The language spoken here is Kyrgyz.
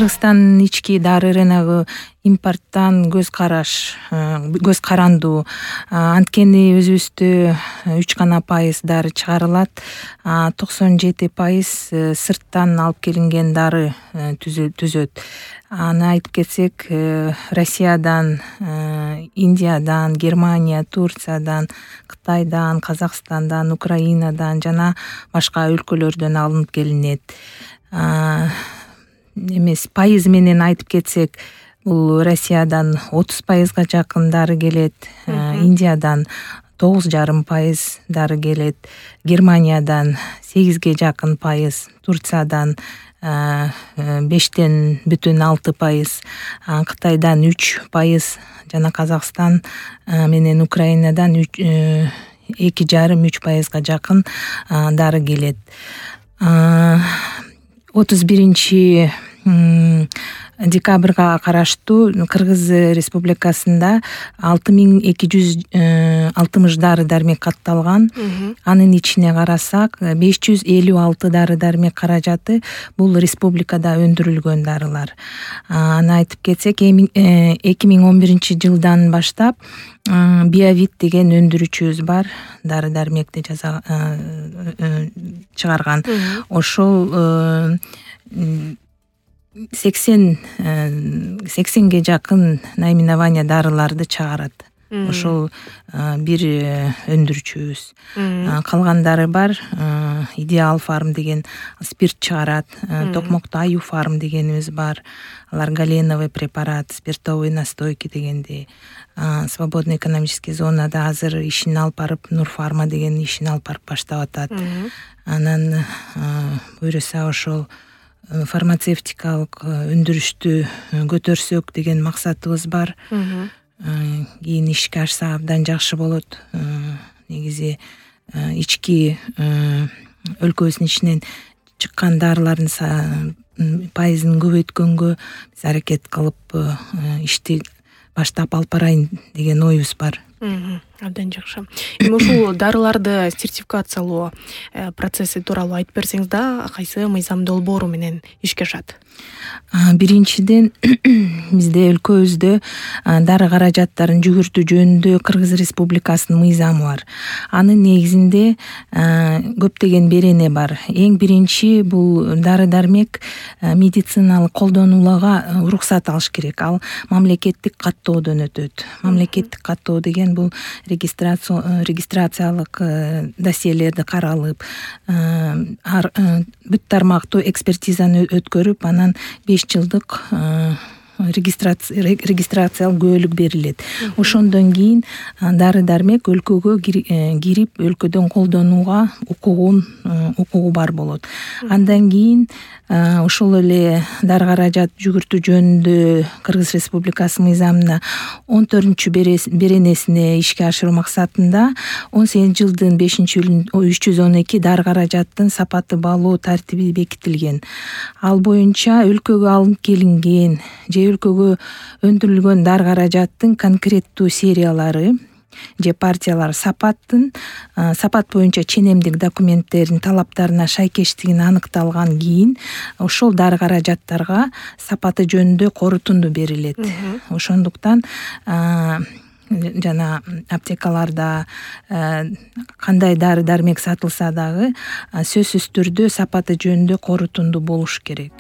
Кыргызстандын ички дары рыногу импорттон көз карандуу. Анткени өзүбүздө 3% дары чыгарылат. 97% сырттан алып келинген дары түзөт. Аны айтып кетсек, Россиядан, Индиядан, Германия, Турциядан, Кытайдан, Казакстандан, Украинадан жана башка өлкөлөрдөн алынып келинет. Пайыз менен айтып кетсек, бул Россиядан 30%га жакын дары келет, Индиядан 9,5% дары келет, Германиядан 8-ге жакын пайыз, Турциядан 5,6%, Кытайдан 3%, жана Казакстан менен Украинадан 2,5-3%га жакын дары келет. 31 декабрга караштуу Кыргыз Республикасында 6260 дары-дармек катталган. Анын ичине карасак, 556 дары-дармек каражаты бул республикада өндүрүлгөн дарылар. Аны айтып кетсек, 2011 жылдан баштап Биовит деген өндүрүүчүбүз бар, дары-дармекти чыгарган. Ошол 80ге жакын наименование дарыларды чыгарат. Ошол бир өндүрүүчүбүз. Калгандары бар. Идеал фарм деген спирт чыгарат. Токмокто Аю фарм дегенибиз бар. Алар галеновый препарат, спиртовый настойки дегенди. Свободный экономический зонада азыр ишин алып барып, Нурфарма деген ишин алып барып баштап атат. Анан буюрса ошол фармацевтикалык өндүрүштү көтөрсөк деген максатыбыз бар. Кийин ишке ашса абдан жакшы болот. Негизи ички өлкөбүздүн ичинен чыккан дарылардын пайызын көбөйткөнгө биз аракет кылып ишти баштап алып барайын деген оюбуз бар. Абдан жакшы. Эми ушул дарыларды сертификациялоо процесси тууралуу айтып берсеңиз да, кайсы мыйзам долбоору менен ишке ашат? Биринчиден, бизде өлкөбүздө дары каражаттарын жүгүртүү жөнүндө Кыргыз Республикасынын мыйзамы бар. Анын негизинде көптөгөн берене бар. Эң биринчи, бул дары-дармек медициналык колдонуларга уруксат алыш керек. Ал мамлекеттик каттоодон өтөт. Мамлекеттик каттоо деген бул регистрациялык досьелерди каралып, бүт тармактуу экспертизаны өткөрүп, анан 5 жылдык регистрациялык күбөлүк берилет. Ошондон кийин дары-дармек өлкөгө кирип, өлкөдөн колдонууга укугу бар болот. Андан кийин ошол эле дары каражат жүгүртүү жөнүндө Кыргыз Республикасынын мыйзамына 14-беренесине ишке ашыруу максатында 18 жылдын 5-июлүн 312 дары каражаттын сапаты баалоо тартиби бекитилген. Ал боюнча өлкөгө алынып келинген же өлкөгө өндүрүлгөн дары каражаттын конкреттүү сериялары же партиялар сапат боюнча ченемдик документтердин талаптарына шайкештигин аныкталган кийин ошол дары каражаттарга сапаты жөнүндө корутунду берилет. Ошондуктан жана аптекаларда кандай дары-дармек сатылса дагы сөзсүз түрдө сапаты жөнүндө корутунду болуш керек.